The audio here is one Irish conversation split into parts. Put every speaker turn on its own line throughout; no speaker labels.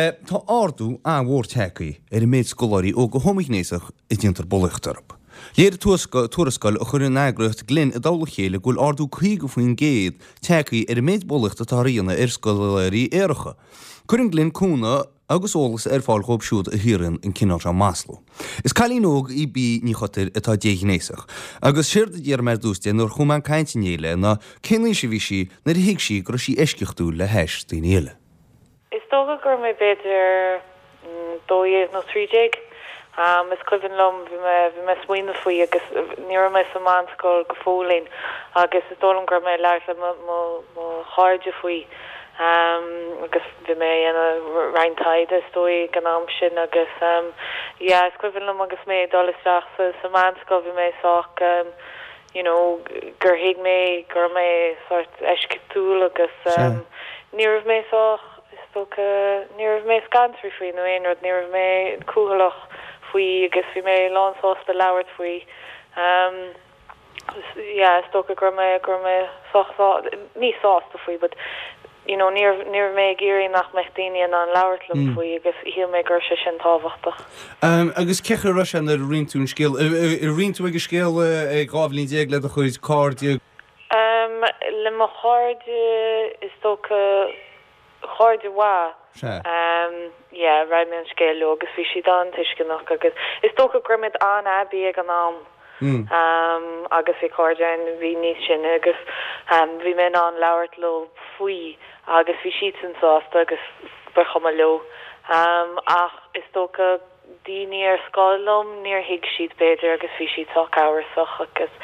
Tá ardú an-mhór tagtha ar an méid scoláirí óga homaighnéasach a déantar bulaíocht orthu. Léirigh tuarascáil a chuir an eagraíocht Glen i dtoll a chéile go bhfuil ardú 50% tagtha ar an méid bulaíochta atáthar a dhéanamh ar scoláirí aeracha. Cuireann Glen cúnamh agus eolas ar fáil dhóibh siúd a shaothraíonn an cineál seo maslú. Is cailín óg í Bee Ní Chotair atá déghnéasach, agus séard a d'fhiafraigh mé ar dtús di nuair a chuaigh mé chun cainte inné léi ná cén aois a bhí sí nuair a thuig sí go raibh sí eisceachtúil le hais daoine eile.
Is dócha go raibh mé b'fhéidir 12 nó 13. Is cuimhin liom, bhí mé, bhí mé ag smaoineamh faoi agus ní raibh mé sa mheánscoil go fóillín agus is dóigh liom go raibh mé ag labhairt le mo, mo, mo chairde faoi agus bhí mé ag déanamh roinnt taighde is dóigh ag an am sin agus yeah is cuimhin liom agus mé ag dul isteach sa, sa mheánscoil bhí mé sách you know gur thuig mé go raibh mé sórt eisceachtúil agus ní raibh mé sách Is dócha, ní raibh mé scanraithe faoi nó aon rud, ní raibh mé cúthaileach faoi agus bhí mé lán sásta labhairt faoi. Yeah, is dócha go raibh mé, go raibh mé sách sá, ní sásta faoi but you know ní raibh, ní raibh mé ag iarraidh nach mbeadh daoine in ann labhairt liom faoi agus shíl mé go raibh sé sin tábhachtach.
Agus cén chaoi a raibh sé nuair a roinn tú an scéal, ar roinn tú an scéal ag 12 bhliain le do chuid cairde?
Le mo chairde, is dócha, cairde mhaith.
Sea.
Yeah, roinn mé an scéal leo agus bhí siad an-tuisceanach agus is dócha go raibh muid an-aibí ag an am. Agus bhí cairde ann a bhí níos sine agus bhí mé in ann labhairt leo faoi agus bhí siadsan sásta agus ba chuma leo. Ach is dócha. daoine ar scoil liom, níor thuig siad b'fhéidir agus bhí siad sách amhrasach agus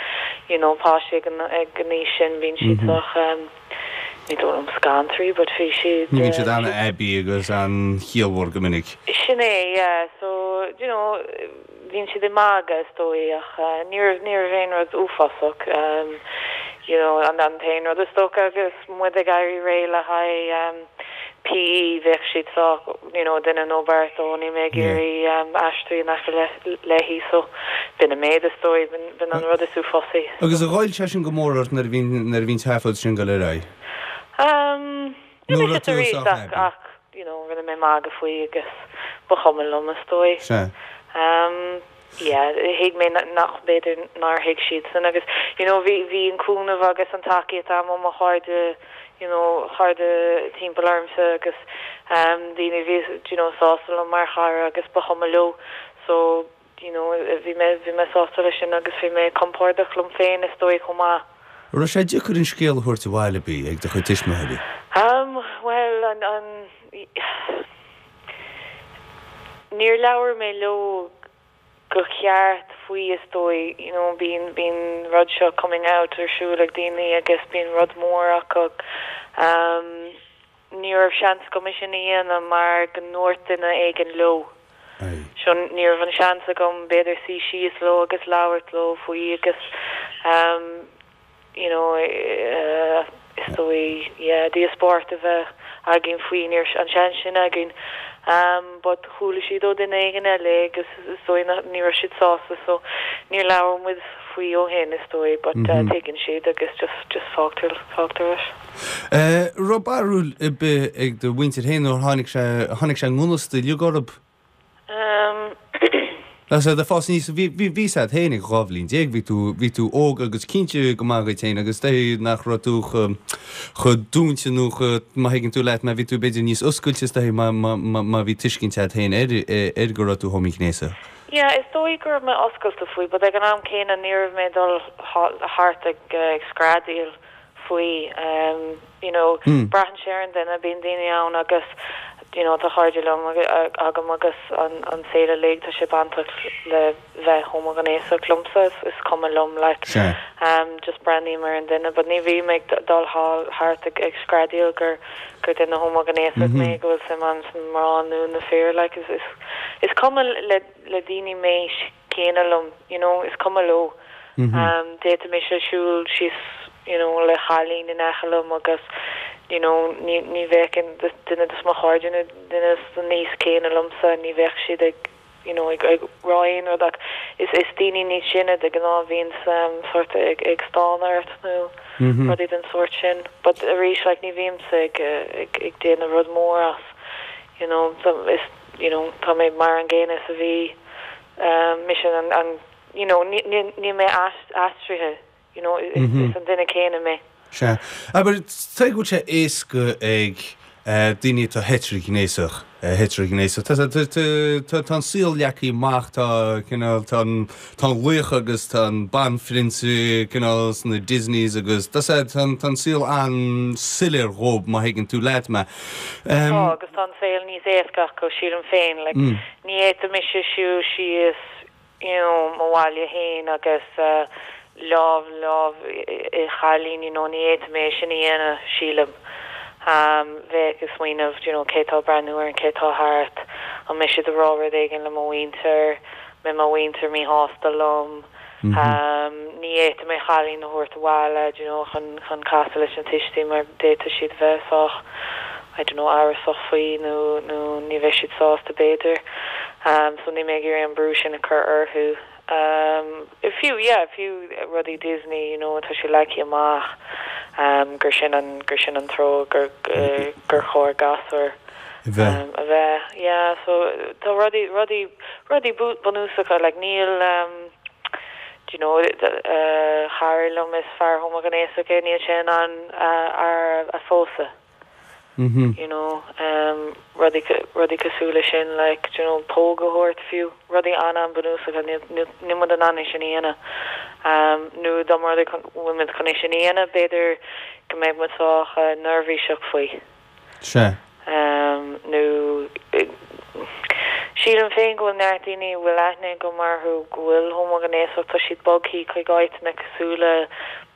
you know páistí ag an ag an aois sin bíonn siad sách ehm ní dóigh liom scanraithe but bhí siad
Ní bhíonn siad an-aibí agus an-chiallmhar go minic.
Sin é yeah so you know bíonn siad ag magadh is dóigh ach ní raibh ní raibh aon rud uafásach ehm you know an an t-aon rud is dócha agus muid ag éirí réidh le haghaidh ehm PE bheadh siad sách you know duine nó beirt ó níl mé ag iarraidh aistriú in aice léi so b'in an méid is dóigh, b'in an rud is uafásaí.
Agus ar ghoill sé sin go mór ort nuair a bhí nuair a bhí an tseafóid sin ag dul ar aghaidh?
Um, ní
Nó
raibh
raibh
sé
tú
arís
sách
ach
happy?
ach you know rinne mé magadh faoi agus ba chuma liom is dóigh.
Sea.
Um, yeah, thuig mé nach b'fhéidir nár thuig siadsan agus you know bhí bhí an cúnamh agus an tacaíocht agam ó mo chairde you know cairde timpeall ormsa agus daoine a bhí you know sásta liom mar chara agus ba chuma leo so you know bhí mé bhí mé sásta leis sin agus bhí mé compordach liom féin is dóigh chomh maith.
An raibh sé deacair an scéal a thabhairt abhaile Bee ag do chuid tuismitheoirí?
Um bhuel an an níor labhair mé leo go ceart faoi is dóigh, you know bíonn bíonn rud seo coming out ar siúl ag daoine agus bíonn rud mór acu. Um ní raibh seans agam é sin a dhéanamh mar go ndúirt duine éigin leo. So ní raibh an seans agam b'fhéidir suí síos leo agus labhairt leo faoi agus um you know is dóigh yeah díospóireacht a bheith againn faoi, ní raibh an seans sin againn but chuala siad ó duine éigin eile agus is dóigh nach, ní raibh siad sásta so níor labhair muid faoi ó shin is dóigh but tuigeann siad agus just, just fágtar, fágtar leis.
Raibh barúil ar bith ag do mhuintir féin nuair tháinig sé, tháinig sé i ngan fhios uilig orthu? Agus ag fás aníos, bhí, bhí, bhí a fhios agat féin ag 12 bhliain, bhí tú, bhí tú óg agus cinnte go maith dhuit féin agus dóigh nach raibh tú chomh, chomh dúinte nó chomh, má thuigeann tú leat mé, bhí tú b'fhéidir níos oscailte is dóigh má, má, má, má bhí tuiscint agat féin ar, ar go raibh tú homaighnéasach.
Yeah, is dóigh go raibh mé oscailte faoi but ag an am céanna ní raibh mé ag dul thart ag, ag screadaíl faoi. You know, braitheann sé ar an duine, bíonn daoine ann agus you know tá cairde liom agam agus an an saol uilig tá sé bainteach le bheith homaighnéasach liomsa is is cuma liom like just breathnaím ar an duine but ní bhím ag dul thart ag ag screadaíl gur gur duine homaighnéasach mé go bhfuil suim agam sna mná nó na fir like is is is cuma le le daoine m'aois céanna liom, you know, is cuma leo. D'fhéadfadh mise siúl síos, you know, le cailín in aice liom agus, you know, ní, ní bheadh aon duine de mo chairde nó duine san aois céanna liomsa, ní bheadh siad ag, you know, ag, ag rá aon rud ach is, is daoine níos sine de ghnáth a bhíonns sórt ag, ag stánadh ort nó rudaí den sórt sin. But arís, like, ní bhímse ag, ag, ag déanamh rud mór as. You know, is, you know, tá mé mar an gcéanna is a bhí mise an, an, you know, níl mé aistrithe, you know, is an duine céanna mé.
Sea. Abair, tuige go bhfuil sé éasca ag daoine atá heitrighnéasach, heitrighnéasach, tá, tá, tá, tá an saol leagtha amach, tá cineál, tá an, tá an laoch agus tá an banphrionsa cineál sna Disneys agus tá sé, tá an, tá an saol an-soiléir dhóibh má thuigeann tú leat mé.
Tá, agus tá an saol níos éasca acu, sílim féin, like, ní fhéadfadh mise siúl síos, you know, mo bhaile fhéin agus lámh, lámh i chailín, you know, ní fhéadfadh mé é sin a dhéanamh, sílim. Bheadh ag smaoineamh, you know, cé tá ag breathnú orm, cé tá thart, an mbeidh siad ag rá rud éigin le mo mhuintir, mbeidh mo mhuintir míshásta liom. Ní fhéadfadh mé cailín a thabhairt abhaile, do you know, chun, chun casadh leis na tuistí mar d'fhéadfadh siad a bheith sách, I don't know, amhrasach faoi nó, nó ní bheidh siad sásta b'fhéidir. So níl mé ag iarraidh an brú sin a chur orthu. Fiú, yeah, fiú rudaí Disney, you know, tá sé leagtha amach gur sin an, gur sin an treo gur, gur chóir gasúir a bheith. A bheith, yeah, so tá rudaí, rudaí, rudaí bunúsacha, like níl, do you know, cara liom is fear homaighnéasach é, níl sé in ann fear a phósadh, you know, rudaí, rudaí cosúil le sin, like, do you know, póg a thabhairt fiú, rudaí an-an-bhunúsacha, níl, níl, níl muid in ann é sin a dhéanamh. Nó dá mba rud é go bhfuil muid chun é sin a dhéanamh, b'fhéidir go mbeidh muid sách neirbhíseach faoi.
Sea.
Nó sílim féin go bhfuil neart daoine a bhfuil aithne agam orthu go bhfuil homaighnéasach, tá siad bogthaí chuig áiteanna cosúil le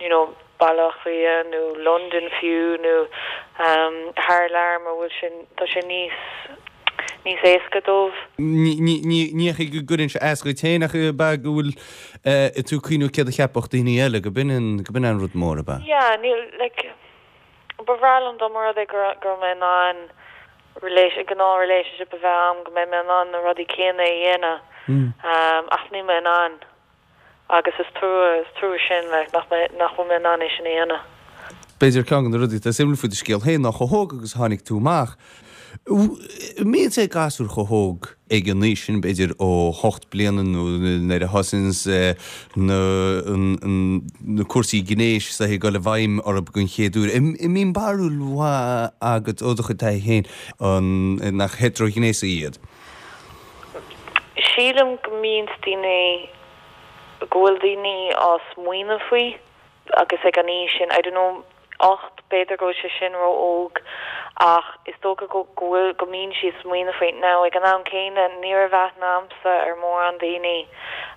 you know Baile Átha Cliath nó Londain fiú nó thar lear mar bhfuil sé, tá sé níos, níos éasca dóibh.
Ní hé go gcuireann sé as dhuit féin ach ab ea go bhfuil tú ag cuimhniú céard a cheapfadh daoine eile, go b'in an, go b'in an rud mór, ab
ea? Yeah, níl, like. Ba bhreá liom dá mba rud é go raibh mé in ann gnáth relationship a bheith a'm, go mbeidh mé in ann na rudaí céanna a dhéanamh ach níl mé in ann agus is trua, is trua sin like nach mbeidh, nach bhfuil mé in ann é sin a dhéanamh.
B'fhéidir ceann de na rudaí atá suimiúil faoi do scéal féin ná chomh hóg agus a tháinig tú amach. Mbíonn sé gasúir chomh hóg ag an aois sin, b'fhéidir ó hocht bliana nó nuair a thosaíonns na cúrsaí gnéis is ag dul i bhfeidhm orthu den chéad uair. An mbíonn barúil mhaith agat ó do chuid taithí féin nach heitrighnéasaigh iad?
Sílim go mbíonns daoine, go bhfuil daoine á smaoineamh faoi agus ag an aois sin, I don't know, 8, b'fhéidir go bhfuil sé sin ró-óg ach is dócha go bhfuil, go mbíonn siad ag smaoineamh faoi. Now ag an am céanna ní raibh aithne a'msa ar mórán daoine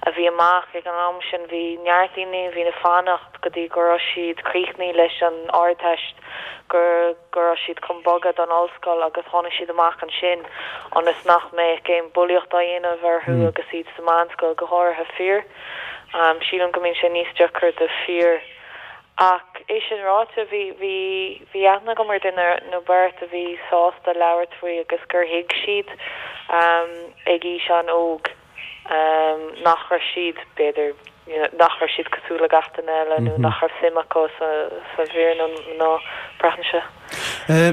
a bhí amach ag an am sin, bhí neart daoine a bhí ag fanacht go dtí go raibh siad críochnaithe leis an Ardteist, go go raibh siad chun bogadh don ollscoil agus tháinig siad amach ansin ionas nach mbeadh aon bulaíocht á dhéanamh orthu agus iad sa mheánscoil, go háirithe fir. Sílim go mbíonn sé níos deacra do fir. Ach é sin ráite, bhí, bhí, bhí aithne agam ar duine nó beirt a bhí sásta labhairt faoi agus gur thuig siad ag aois an-óg nach raibh siad, b'fhéidir, you know, nach raibh siad cosúil le gach duine eile nó nach raibh suim acu sa, sa bhfir nó mná, braitheann sé.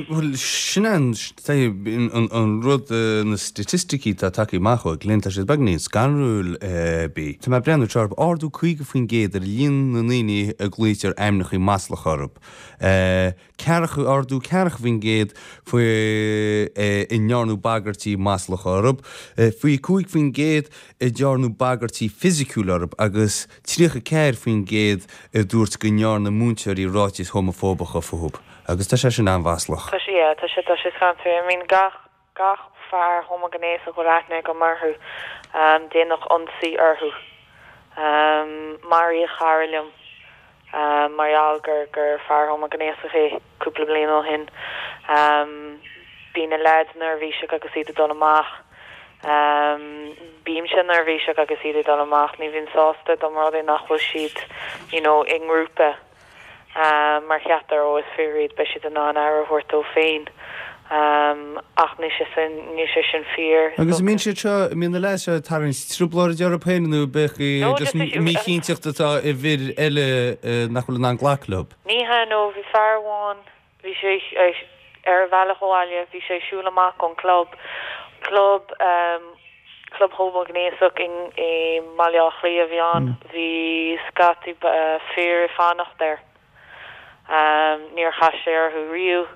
Bhuel, sin é an rud, na staitisticí atá tagtha amach ó Glen, tá siad beagáinín scanrúil. Bhí. Tá mé ag breathnú anseo orthu, ardú 50% ar líon na ndaoine a glaoitear ainmneacha maslacha orthu. Ceathracha, ardú 40% faoi a ndearnadh bagairtí maslacha orthu, 25% a ndearnadh bagairtí fisiciúla orthu agus 34% a dúirt go ndearna múinteoirí ráitis homafóbacha fúthu agus tá sé sin an-mhaslach.
Tá sé, yeah, tá sé, tá sé scanrúil. I mean gach, gach fear homaighnéasach a bhfuil aithne agam orthu, déanadh ionsaí orthu. Maraíodh cara liom mar gheall gur, gur fear homaighnéasach é cúpla bliain ó shin. Bíonn na leaids neirbhíseach agus iad ag dul amach. Bímse neirbhíseach agus iad ag dul amach. Ní bhím sásta dá mba rud é nach bhfuil siad you know i ngrúpa mar cheaptar ó is fir iad beidh siad in ann aire a thabhairt dóibh féin. Ach níl sé sin, níl sé sin fíor.
Agus an mbíonn siad seo, an mbíonn na leaids seo ag tarraingt trioblóide orthu féin nó ab é just míchinnteacht atá i bhfir eile nach bhfuil in ann glacadh leo?
Ní hea, no, bhí fear amháin, bhí sé. Ar a bhealach abhaile bhí sé ag siúl amach ón club, club club homaighnéasach i mBaile Átha Cliath a bhí ann. Bhí scata fir ag fanacht air. Níor chas sé orthu riamh.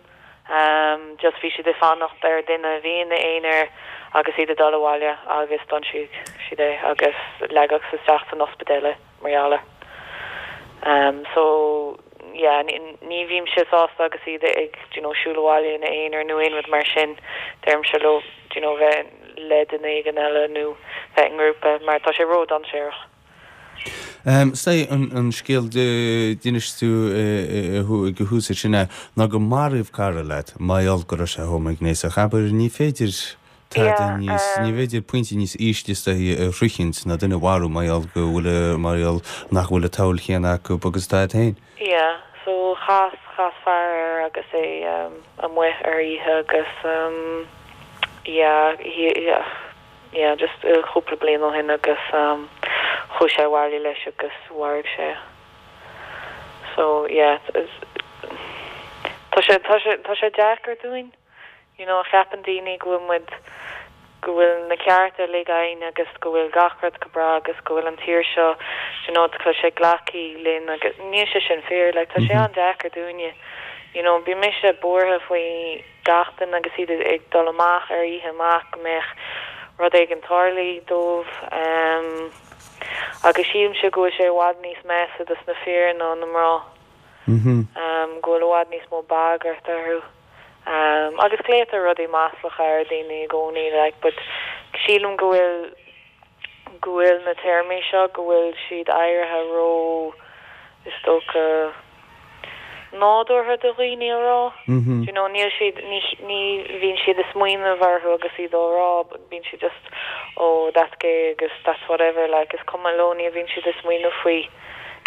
Just bhí siad ag fanacht ar duine a bhí ina aonar agus iad ag dul abhaile agus d'ionsaigh siad é agus leagadh isteach san ospidéal é mar gheall air. So yeah ní bhímse sásta agus iad ag do you know siúl abhaile ina aonar nó aon rud mar sin. Deirimse leo do you know bheith le duine éigin eile nó bheith i ngrúpa mar tá sé ró-dainséarach.
Sea, an scéal d'inis tú ag an thús sin é ná gur maraíodh cara leat mar gheall go raibh sé homaighnéasach. Abair, ní féidir tada níos, ní féidir pointe níos ísle is dóichí a shroichint ná duine a mharú mar gheall go bhfuil, mar gheall nach bhfuil an tsamhail chéanna acu agus atá agat féin.
Yeah, so chas, chas fear air agus é amuigh ar oíche agus yeah, he, yeah. yeah just cúpla bliain ó shin agus chuaigh sé abhaile leis agus mharaigh sé é. So yeah tá sé tá sé tá sé deacair dúinn you know ceapann daoine go bhfuil muid go bhfuil na cearta uilig againn agus go bhfuil gach rud go breá agus go bhfuil an tír seo you know tá sé glactha linn agus níl sé sin fíor like tá sé an-deacair dúinne you know bíonn mise buartha faoi gach duine agus iad ag dul amach ar oíche amach go mbeadh rud éigin tarlaithe dóibh agus sílimse go bhfuil sé i bhfad níos measa dos na fir ná na mná, go bhfuil i bhfad níos mó bagairt orthu agus glaotar rudaí maslacha ar daoine i gcónaí like but sílim go bhfuil go bhfuil na téarmaí seo, go bhfuil siad éirithe ró, is dócha, nádúrtha do dhaoine a rá. Do you know, níl siad, ní, ní bhíonn siad ag smaoineamh orthu agus iad á rá, bíonn siad just, oh, that's gay agus that's whatever, like, is cuma leo, ní bhíonn siad ag smaoineamh faoi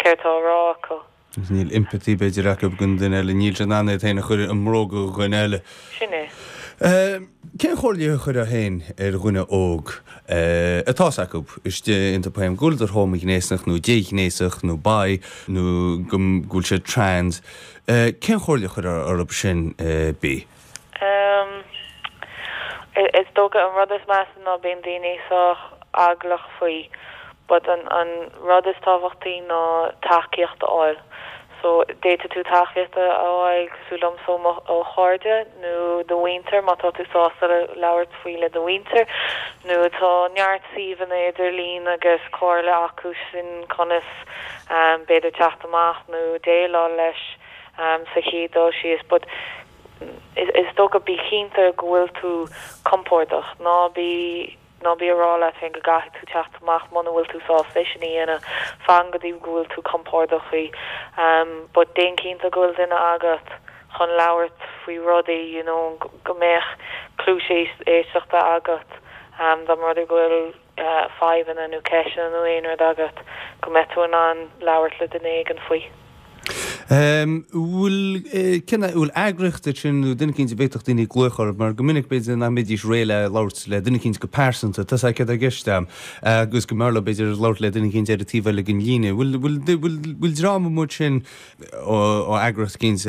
céard atá á rá acu.
Agus níl empathy b'fhéidir acu don duine eile, níl siad in ann iad féin a chur i mbróga dhuine eile.
Sin é.
Cén chomhairle a chuirfeá féin ar dhuine óg atá 's acu istigh iontu féin go bhfuileadar homaighnéasach nó déghnéasach nó bi nó go bhfuil siad trans, cén chomhairle a chuirfeá orthu sin Bea?
Is dócha an rud is measa ná bíonn daoine sách eaglach faoi but an an rud is tábhachtaí ná tacaíocht a fháil. So d'fhéadfadh tú tacaíocht a fháil cosúil liomsa ó mo ó chairde nó do mhuintir má tá tú sásta labhairt faoi le do mhuintir nó tá neart suíomhanna idirlín agus comhairle acu sin conas b'fhéidir teacht amach nó déileáil leis sa chéad dul síos but Is dócha, bí cinnte go bhfuil tú compordach. Ná bí, ná bí ag rá leat féin go gcaithfidh tú teacht amach muna bhfuil tú sásta é sin a dhéanamh. Fan go dtí go bhfuil tú compordach faoi. But déan cinnte go bhfuil duine agat chun labhairt faoi rudaí, you know, go mbeadh cluais éisteachta agat dá mba rud é go bhfuil fadhbanna nó ceisteanna nó aon rud agat, go mbeidh tú in ann labhairt le duine éigin faoi.
Bhfuil, cén, bhfuil eagraíocht ansin nó duine eicínt a bhféadfadh daoine glaoch orthu mar go minic b'fhéidir nach mbeidís réidh le labhairt le duine eicínt go pearsanta, tá 's agat céard atá i gceist a'm, agus go mb'fhearr leo b'fhéidir labhairt le duine eicínt ar an taobh eile den líne. Bhfuil, bhfuil, bhfuil, bhfuil dream amuigh ansin ó eagraíocht eicínt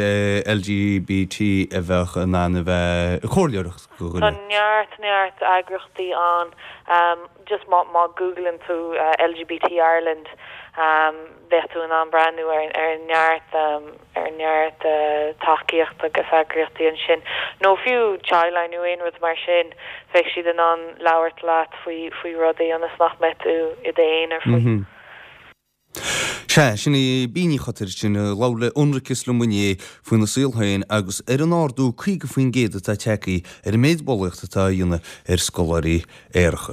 LGBT a bheadh in ann a bheith ag comhairleoireacht
do dhuine? Tá neart, neart eagraíochtaí ann. Just má, má googlann tú LGBT Ireland, bheadh tú in ann breathnú ar ar neart ar neart tacaíocht agus eagraíochtaí ansin, nó fiú Childline nó aon rud mar sin, bheadh siad in ann labhairt leat faoi faoi rudaí ionas nach mbeidh tú i d'aonar faoi.
Sea, sin í Bea Ní Chotaire sin a labhair le Ionracas liom inné faoina saol féin agus ar an ardú 50% atá tagtha ar an méid bulaíochta atá á dhéanamh ar scoláirí aeracha.